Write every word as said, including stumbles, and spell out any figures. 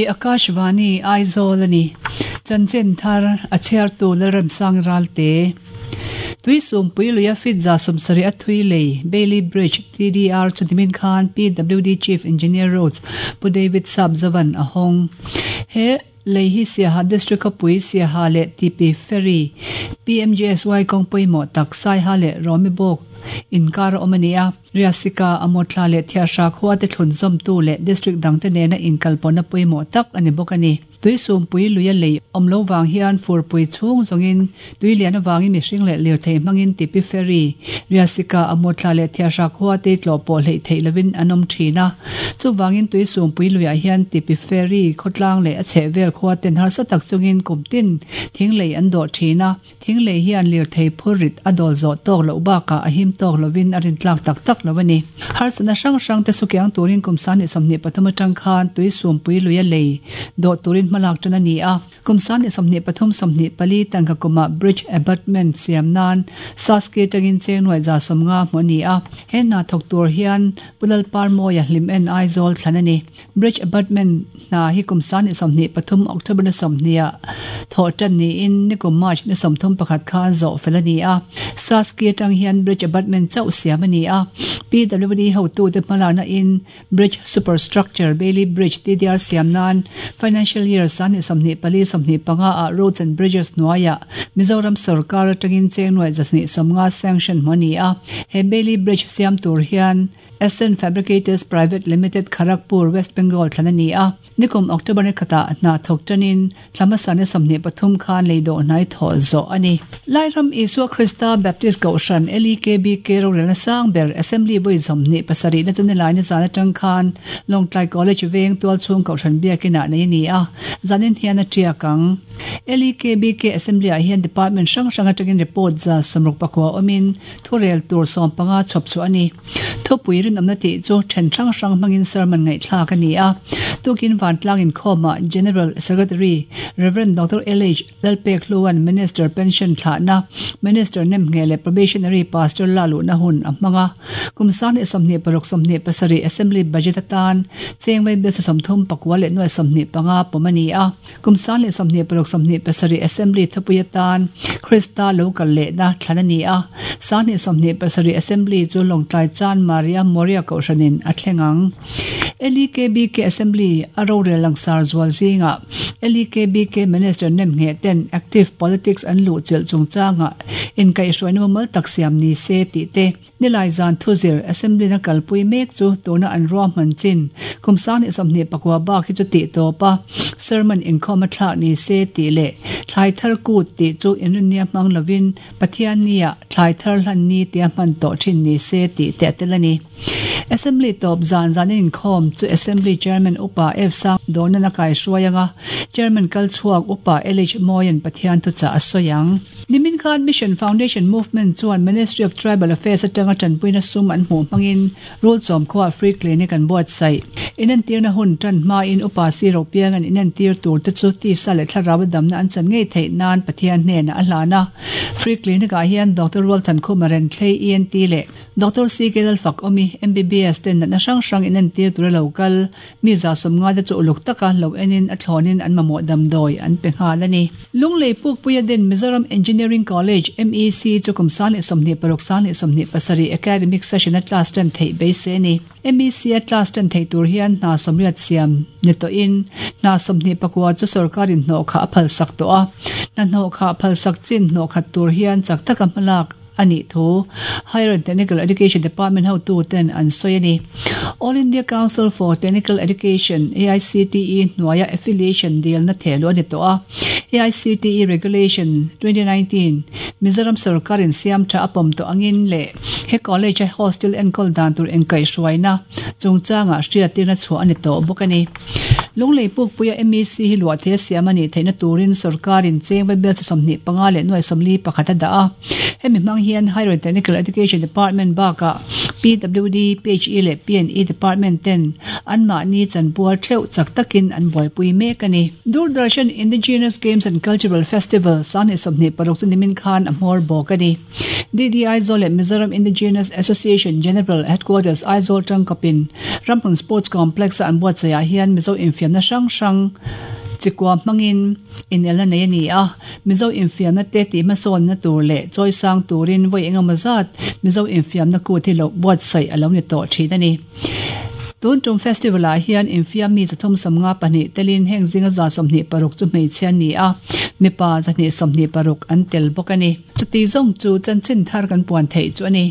Hei hi Akashvani Aizawl ani. Chanchin thar a chhiartu Lalremsang Ralte. Tuisumpui luia fit za sawmsarih a thui lei Bailey Bridge T D R chu nimin khan P W D Chief Engineer Roads Pu David Sapzavan a hawng. He lei hi Siaha District khawpui Siaha leh T P Ferry P M G S Y kawng pawimawh tak Saiha leh Rawmibawk inkar a awm a ni a. Riasika Amawtla leh Thiahra khua te thlun zawmtu leh district dangte nena inkalpawhna pawimawh tak a ni bawk a ni. Tuisumpui luia lei awm lo vang hian furpui chhung zawngin tui lian avangin mihring leh lirthei hmangin Tipi Ferry, Riasika, Amawtla leh Thiahra khua te tlawh pawh hleih theih lovin an awm thin a. Chuvangin tuisumpui luiah hian Tipi Ferry khawtlang leh a chhehvel khua ten harsa tak chungin kum tin thing lei an dawh thin a. Thing lei hian lirthei phur rit a dawl zawh tawk loh bakah a him tawk lovin a rintlak tak tak lo a ni. Harsatna hrang hrang te sukiang turin kum sangni sawmhnih pathum atang khan tuisumpui luia lei dawh turin hmalak tan a ni a. Kum sangni sawmhnih pathum sawmhnih pali tangka kuma bridge abutment siam nan Saski atangin cheng nuai za sawmnga hmu a ni a. He hna thawk tur hian Pulal Parmawia hlim en Aizawl thlan a ni. Bridge abutment hna hi kum sangni sawmhnih pathum October ni sawmhnih ah thawh tan niin nikum March ni sawmthum pakhat khan zawh fel a ni a. Saski atang hian bridge abutment chauh siam a ni a. P W D hotu te hmalakna in bridge superstructure Bailey Bridge T D R siam nan financial year sangni sawmhnih pali sawmhnih panga ah Roads and Bridges hnuaiah Mizoram sarkar atangin cheng nuai zasnih sawmnga sanction hmu a ni a. He Bailey Bridge siam tur hian Ascent Fabricators Private Limited, Kharagpur, West Bengal thlan a ni a. Nikum October ni khatah hna thawk tanin thlamasa ni sawmhnih pathum khan lei dawh hnai thawh zawh a ni. Lairam Isua Krista Baptist Kohhran L E K B K rorelna sang ber Assembly vawi sawmhnih pasarih na chu nilai ni zan atang khan Lawngtlai College veng tualchhung Kohhran biakinah nei a ni a. Zanin hian a tiak ang. L E K B K Assembly ah hian department hrang hrang atangin report za sawmruk pakua awmin thurel tur sawm panga chhawp chu a ni. Thupui rinawmna tih chu then hrang hrang hmangin sermon ngaihthlak a ni a. Tukin vantlang inkhawmah General Secretary Reverend Doctor L H Lalpek Hluan Minister pension thlahna, Minister nem nge leh probationary pastor la luhna hun a hmanga. Kum sangni sawmhnih paruk sawmhnih pasarih Assembly budget atan cheng vaibel sawmthum pakua leh nuai sawmhnih panga pawm a ni a. Kum sangni sawmhnih paruk sawmhnih pasarih Assembly thupui atan Krista lo kal lehna thlan a ni a. Sangni sawmhnih pasarih Assembly chu Lawngtlai Chan Maria Moria Kohhranin a thleng ang. L E K B K Assembly a rorel langsar zual zinga L E K B K Minister nem nge ten active politics an lu chil chungchanga in kai hruaina mumal tak siam ni se ti te nilai zan thuzir Assembly na kalpui mek chu tuna an ruahman chin kum sangni sawmhnih pakua bak hi chu ti tawpa sermon inkhawm a thlak ni se ti leh thlai thar kut ti chu inrinnia hmang lovin Pathian nia thlai thar hlan ni tia hman tawh thin ni se ti te tel a ni. Assembly tawp zan zan inkhawm chu Assembly Chairman Upa F Sang Donan a kai hruaianga Chairman kalchhuak Upa L H Moyan Pathian thu cha a sawiang. Nimin khan Mission Foundation Movement chuan Ministry of Tribal Affairs atanga tanpuina sum an hmuh hmangin rul chawm khuwa free clinic an buatsaih. Inentirna hun tan hma in Upa Si Ropiang an inentir tur te chu tisa leh thlarau damna an chan ngei theih nan Pathian hnena a hlana. Free clinic ah hian Doctor Walthan Khumaren Thlei E N T leh Doctor C K Lalfak Omi M B B S ten natna hrang hrang inentir tur local mi za sawmnga te chu uluk taka lo enin a thlawnin an mamawh damdawi an pe nghal a ni. Lunglei Pukpuia din Mizoram Engineering College M E C chu kum sangni sawmhnih paruk sangni sawmhnih pasarih academic session a class tan theih beisei a ni. M E C a class tan thei tur hian hna sawmriat siam ni tawhin hna sawmhnih pakua chu sarkarin hnawh kha a phal sak tawh a. Hna hnawh kha phal sak chin hnawh khat tur hian chak taka hmalak ani thu Higher and Technical Education Department hotu ten an sawi a ni. All India Council for Technical Education A I C T E hnuaia affiliation deal na thelu ani tawh a. A I C T E Regulation twenty nineteen Mizoram sarkarin siam tha apawm tawh angin leh he college a hostel enkawl dan tur engkai hruaina chungchanga hriattirna chhuah ani tawh bawk a ni. Lunglei Pukpuia M E C hi luah the siam ani theihna turin sarkarin cheng vaibel sawmhnih panga leh nuai sawmli pakhat a dah a. Hemi hmang hian Higher and Technical Education Department bakah P W D, P H E leh P and E Department ten anmahni chanpual theuh chak takin an buaipui mek a ni. Doordarshan Indigenous Games and Cultural Festival sangni sawmhnih paruk chu nimin khan a hmawr bawk a ni. D D Aizawl leh Mizoram Indigenous Association General Headquarters Aizawl tangkapin Ramhlun Sports Complex a an buatsaihah hian Mizo infiamna hrang hrang chikua hmangin inelna nei a ni a. Mizo infiamna te tih hmasawnna tur leh chawisang turin vawi engemaw zat Mizo infiamna kut hi lo buatsaih a lo ni tawh thin a ni. Tun tum festival ah hian infiam mi zathum sawmnga pahnih telin heng zinga za sawmhnih paruk chu hmeichhia an ni a, mipa zahnih sawmhnih paruk an tel bawk a ni. Chuti zawng chu chanchin thar kan puan theih chu a ni.